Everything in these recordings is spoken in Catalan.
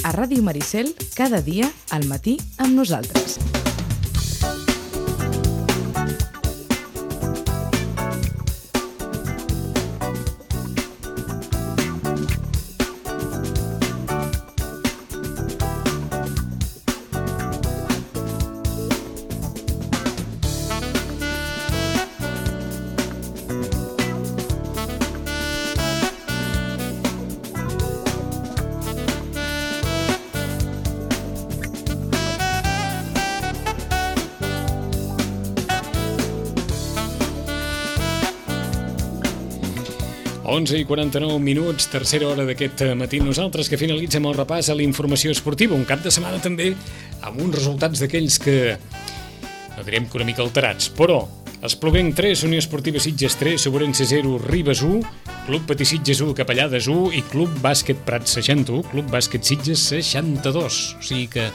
A Ràdio Maricel, cada dia, al matí, amb nosaltres. Onze i 49 minuts, tercera hora d'aquest matí. Nosaltres que finalitzem el repàs a la informació esportiva. Un cap de setmana també amb uns resultats d'aquells que, no direm que una mica alterats, però Espluguenc 3, Unió Esportiva Sitges 3, Sobrense 0, Ribes 1, Club Patí Sitges 1, Capellades 1 i Club Bàsquet Prats 61, Club Bàsquet Sitges 62. O sigui que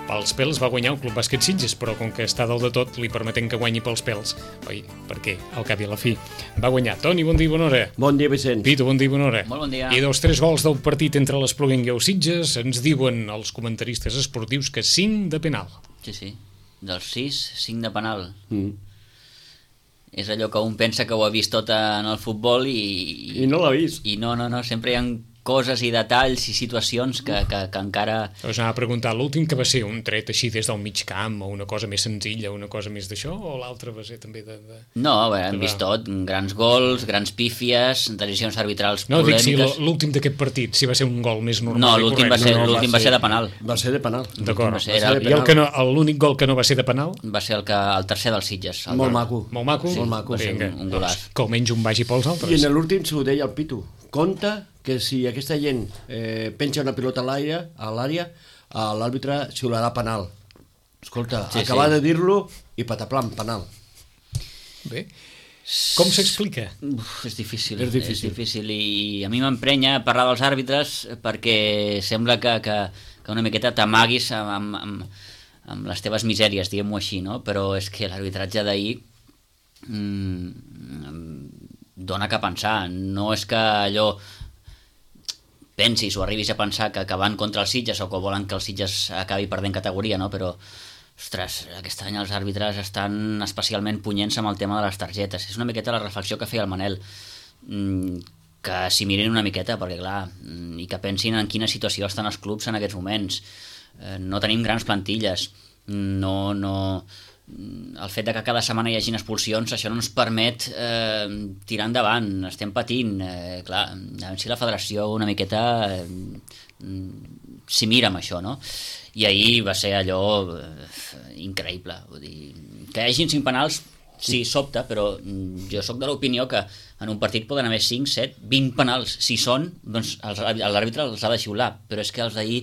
pels pèls va guanyar el Club Bàsquet Sitges, però com que està dalt de tot, li permetem que guanyi pels pèls. Oi, perquè al cap i a la fi va guanyar. Toni, bon dia i bona hora. Bon dia, Vicent. Pitu, bon dia i bona hora. Molt bon dia. I dels 3 gols del partit entre l'Espluguenc i el Sitges, ens diuen els comentaristes esportius que 5 de penal. Sí. Dels 6, 5 de penal. És allò que un pensa que ho ha vist tot en el futbol I no l'ha vist. I no, sempre hi ha coses i detalls i situacions que encara... Us anava a preguntar, l'últim que va ser un tret així des del mig camp, o una cosa més senzilla, una cosa més d'això, o l'altre va ser també de... No, hem vist tot, grans gols, grans pífies, decisions arbitrals polèmiques... No, dic si l'últim d'aquest partit, si va ser un gol més normal. No, l'últim va ser de penal. Va ser de penal. D'acord. I l'únic gol que no va ser de penal? Va ser el tercer dels Sitges. Molt maco. Molt maco? Molt maco. Va ser un golaç. Que almenys un vagi pels altres. I en l'últim s'ho deia el Pitu. Compte que si aquesta gent penja una pilota a l'àrea, l'àrbitre xiularà penal. Escolta, acaba de dir-lo i pataplam, penal. Bé, com s'explica? És difícil i a mi m'emprenya parlar dels àrbitres perquè sembla que una miqueta t'amaguis amb les teves misèries, diguem-ho així, no? Però és que l'arbitratge d'ahir dona que pensar. No és que allò pensis o arribis a pensar que van contra els Sitges o que volen que el Sitges acabi perdent categoria, no? Però, ostres, aquest any els àrbitres estan especialment punyents amb el tema de les targetes. És una miqueta la reflexió que feia el Manel, que s'hi mirin una miqueta, perquè clar, i que pensin en quina situació estan els clubs en aquests moments. No tenim grans plantilles, el fet de que cada setmana hi hagin expulsions, això no ens permet tirar endavant, estem patint, clar, a veure si la federació una miqueta s'hi mira amb això, no? I ahir va ser allò increïble, vull dir, que hi hagin 5 penals sí, sobta, però jo sóc de l'opinió que en un partit poden haver 5, 7, 20 penals, si són, doncs l'àrbitre els ha de xiular, però és que els d'ahir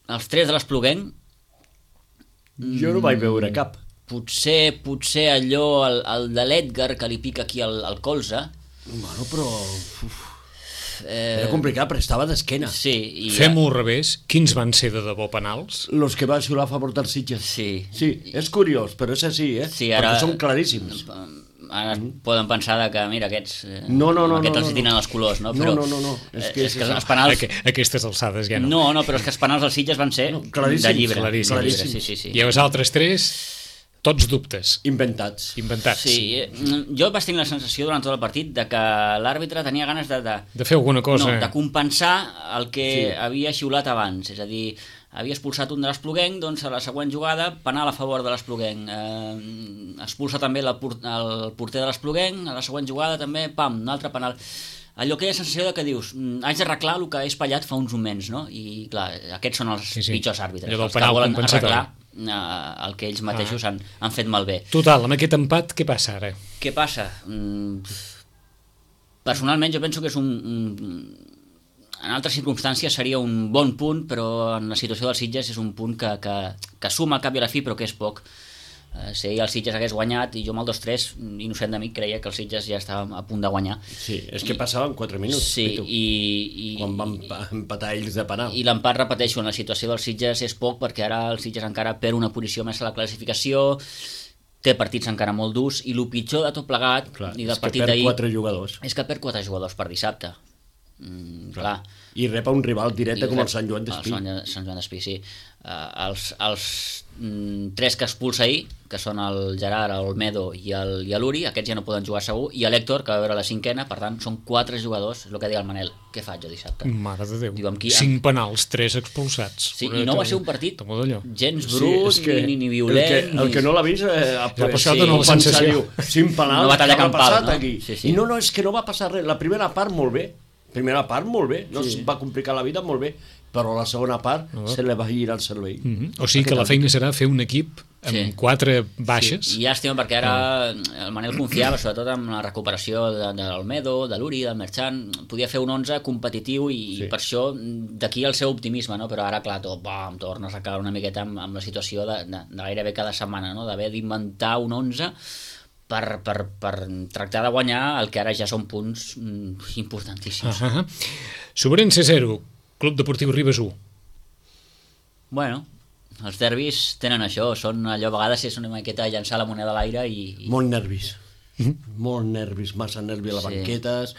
els 3 de l'Espluguenc jo no vaig veure cap. Potser allò, el de l'Edgar, que li pica aquí al colze. Bueno, però... era complicat, però estava d'esquena. Sí. Fem-ho al revés. Quins van ser de debò penals? Los que van xiular a favor dels Sitges. Sí, és curiós, però és així, Sí, ara... perquè són claríssims. Ara poden pensar que, mira, aquests els tenen els colors, no? Però, no. És que els penals... Aquestes alçades ja no. No, però és que els penals dels Sitges van ser de llibre. Claríssims. Sí. I els altres 3, tots dubtes. Inventats. Sí, jo vaig tenir la sensació durant tot el partit de que l'àrbitre tenia ganes de fer alguna cosa. No, de compensar el que havia xiulat abans, és a dir, havia expulsat un de l'Espluguenc, doncs a la següent jugada penal a favor de l'Espluguenc, expulsa també el porter de l'Espluguenc, a la següent jugada també, un altre penal. Allò que hi ha sensació de que dius, haig d'arreglar el que he espatllat fa uns moments, no? I clar, aquests són els pitjors àrbitres, els que volen arreglar el que ells mateixos han fet malbé. Total, amb aquest empat, què passa ara? Què passa? Personalment jo penso que és en altres circumstàncies seria un bon punt, però en la situació dels Sitges és un punt que suma al cap i a la fi, però que és poc. Si el Sitges hagués guanyat, i jo amb el 2-3, innocent de mi, creia que el Sitges ja estava a punt de guanyar. Sí, és que passaven 4 minuts. Sí, quan van empatar ells de penal. I l'empat, repeteixo, en la situació dels Sitges és poc, perquè ara el Sitges encara perd una posició més a la classificació, té partits encara molt durs, i el pitjor de tot plegat, i del partit d'ahir, és que perd 4 jugadors. És que perd 4 jugadors per dissabte. Clar. I rep un rival directe com el Sant Joan d'Espí. Sant Joan d'Espí, sí. Els 3 que expulsa ahir, que són el Gerard, el Olmedo i l'Uri, aquests ja no poden jugar segur, i l'Hèctor, que va veure la 5ª, per tant, són 4 jugadors, és el que deia el Manel. Què faig jo dissabte? Mare de Déu. Diu, 5 penals, 3 expulsats. Sí, i no va ser un partit gens brut, ni violent. El que no l'ha vist... ha passat una sensació. 5 penals, no batalla què ha campal, passat no? aquí? Sí. I no, és que no va passar res. La primera part, molt bé. No es va complicar la vida, molt bé. Però la segona part se li va girar el cervell. O sigui que la feina serà fer un equip amb 4 baixes. Sí, i llàstima perquè ara el Manel confiava sobretot en la recuperació de l'Olmedo, de l'Uri, del Merchan. Podia fer un 11 competitiu i per això d'aquí el seu optimisme, no? Però ara clar, tornes a caure una miqueta amb la situació de gairebé cada setmana, no? D'haver d'inventar un 11 per tractar de guanyar el que ara ja són punts importantíssims. Sobrense 0, Club Deportiu Ribes 1. Bueno, els derbis tenen això, són allò, a vegades és una miqueta llançar la moneda a l'aire i... Molt nervis. Molt nervis, massa nervi a les banquetes.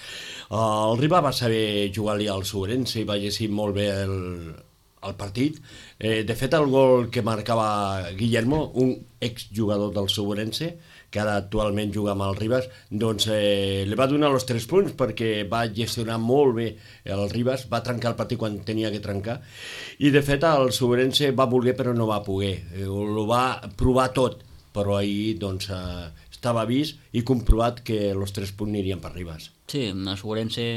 El Riba va saber jugar-li al Sobrense i va llegir molt bé el partit. De fet, el gol que marcava Guillermo, un exjugador del Sobrense, que ara actualment juga amb el Ribas, doncs li va donar els 3 punts perquè va gestionar molt bé el Ribas, va trencar el partit quan tenia que trencar, i de fet el Sobrense va voler però no va poder, ho va provar tot, però ahir doncs estava vist i comprovat que els 3 punts anirien per Ribas. Sí, el Sobrense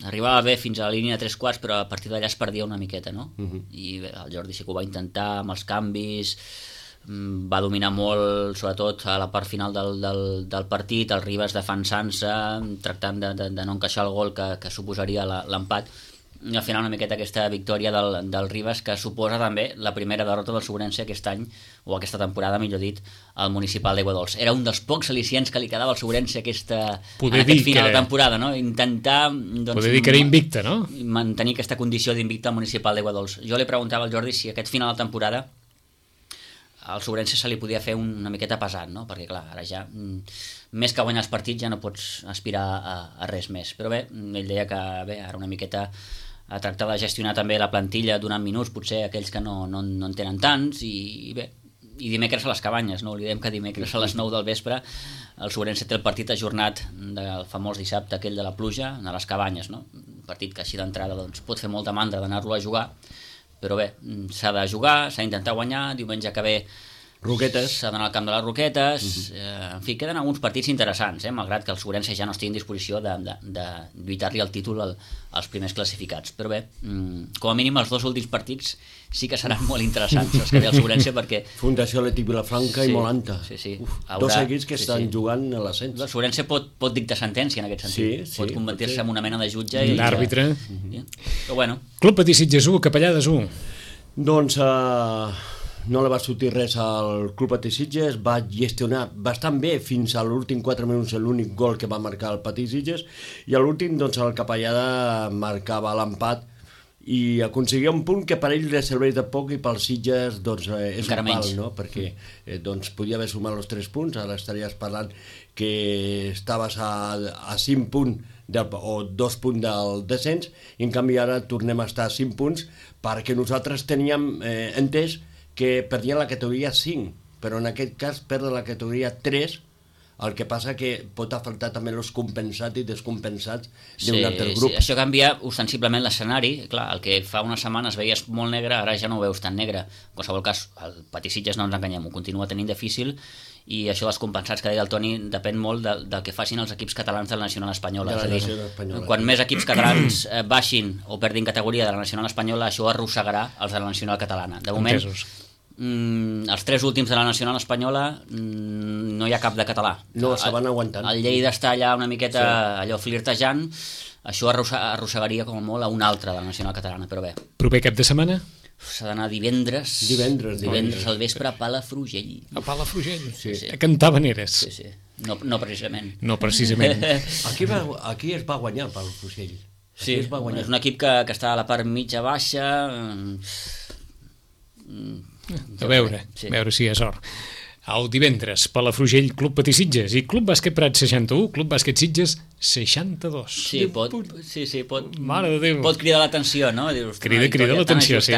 arribava bé fins a la línia de 3/4, però a partir d'allà es perdia una miqueta, no? I bé, el Jordi sí que ho va intentar amb els canvis, va dominar molt, sobretot a la part final del partit, el Ribas defensant-se, tractant de no encaixar el gol que suposaria l'empat, i al final una miqueta aquesta victòria del Ribas, que suposa també la primera derrota del Sobrense aquest any, o aquesta temporada, millor dit, al Municipal d'Aiguadols. Era un dels pocs al·licients que li quedava al Sobrense en aquest final de temporada, no? Intentar... Poder dir que era invicte, no? Mantenir aquesta condició d'invicte al Municipal d'Aiguadols. Jo li preguntava al Jordi si aquest final de temporada al Sobrense se li podia fer una miqueta pesat, no? Perquè clar, ara ja més que guanyar els partits ja no pots aspirar a res més, però bé, ell deia que bé, ara una miqueta a tractar de gestionar també la plantilla donant minuts, potser aquells que no en tenen tants, i bé, i dimecres a les Cabanyes, no oblidem que dimecres a les 9 del vespre el Sobrense té el partit ajornat del famós dissabte aquell de la pluja a les Cabanyes, no? Un partit que així d'entrada doncs, pot fer molta mandra d'anar-lo a jugar, però bé, s'ha de jugar, s'ha d'intentar guanyar, diumenge que ve Roquetes. S'ha d'anar al camp de les Roquetes, en fi, queden alguns partits interessants, malgrat que el Sobrense ja no estigui en disposició de lluitar-li el títol als primers classificats, però bé, com a mínim els 2 últims partits sí que seran molt interessants els que ve el Sobrense, perquè... Fundació Leti Vilafranca i Molanta. Sí. Dos equips que estan jugant a l'ascens. El Sobrense pot dictar sentència en aquest sentit, pot convertir-se en una mena de jutge i d'àrbitre. Però bueno. Club Patí Sitges 1, Capellades 1. Doncs no li va sortir res al Club Patí Sitges, va gestionar bastant bé fins a l'últim 4 minuts l'únic gol que va marcar el Patí Sitges, i a l'últim doncs el Capellada marcava l'empat i aconseguia un punt que per ell li serveix de poc i pels Sitges doncs, és encara un pal, menys, no? Perquè doncs, podia haver sumat els 3 punts, ara estaries parlant que estaves a 5 punts o 2 punts del descens, i en canvi ara tornem a estar a 5 punts perquè nosaltres teníem entès que perdien la categoria 5, però en aquest cas perden la categoria 3, el que passa que pot afectar també els compensats i descompensats d'un altre grup. Sí, això canvia ostensiblement l'escenari, clar, el que fa una setmana es veia molt negre, ara ja no ho veus tan negre. En qualsevol cas, el Patí Sitges, no ens enganyem, ho continua tenint difícil, i això dels compensats que deia el Toni depèn molt del que facin els equips catalans de la Nacional Espanyola. És a dir, quan més equips catalans baixin o perdin categoria de la Nacional Espanyola, això arrossegarà els de la Nacional Catalana. De moment, els 3 últims de la Nacional Espanyola no hi ha cap de català. No, se van aguantant. El Lleida està allà una miqueta allò flirtejant, això arrossegaria com a molt a un altre de la Nacional Catalana, però bé. Proper cap de setmana? S'ha d'anar divendres al vespre a Palafrugell. A Palafrugell? Sí. A cantar veneres? Sí. No precisament. No precisament. Aquí es va guanyar el Palafrugell. Sí, és un equip que està a la part mitja-baixa. A veure si és sort. El divendres, Palafrugell, Club Patí Sitges i Club Bàsquet Prat 61, Club Bàsquet Sitges 62. Sí, pot Mare de Déu. pot cridar l'atenció, no? Dius, Crida l'atenció, sí.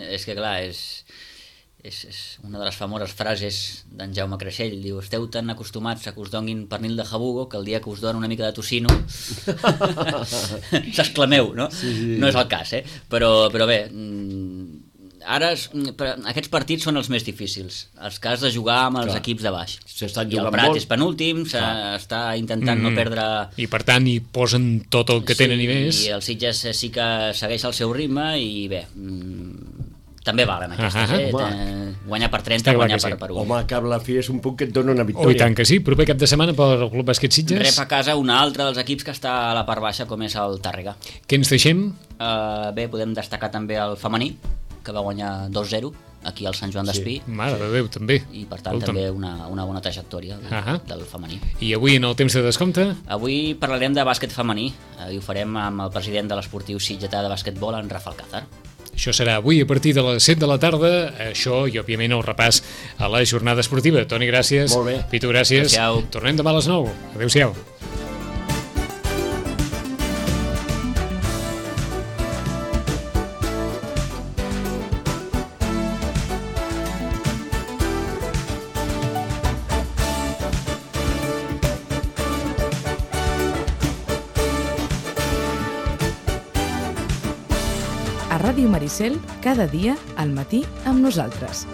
És que clar, és una de les famoses frases d'en Jaume Creixell, diu, esteu tan acostumats a que us donguin pernil de jabugo que el dia que us donen una mica de tocino s'exclameu, no? Sí. No és el cas, però bé, ara aquests partits són els més difícils, els que has de jugar amb els equips de baix. I el Prat és penúltim, s'està intentant no perdre... I per tant hi posen tot el que tenen i més. I el Sitges sí que segueix el seu ritme i bé, també valen aquestes, guanyar per 30, guanyar per 1. Home, que la fi és un punt que et dona una victòria. Oh, i tant que sí, proper cap de setmana pel Club Bàsquet Sitges. Rep a casa un altre dels equips que està a la part baixa, com és el Tàrrega. Què ens deixem? Bé, podem destacar també el femení, que va guanyar 2-0 aquí al Sant Joan d'Espí. Mare de Déu, també. I per tant també una bona trajectòria del femení. I avui en el temps de descompte? Avui parlarem de bàsquet femení i ho farem amb el president de l'Esportiu Sitgetà de bàsquetbol, en Rafa Alcázar. Això serà avui a partir de les 7 de la tarda, això i òbviament el repàs a la jornada esportiva. Toni, gràcies. Molt bé. Pitu, gràcies. Adéu-siau. Tornem demà a les 9. Adéu-siau. A Ràdio Maricel, cada dia al matí amb nosaltres.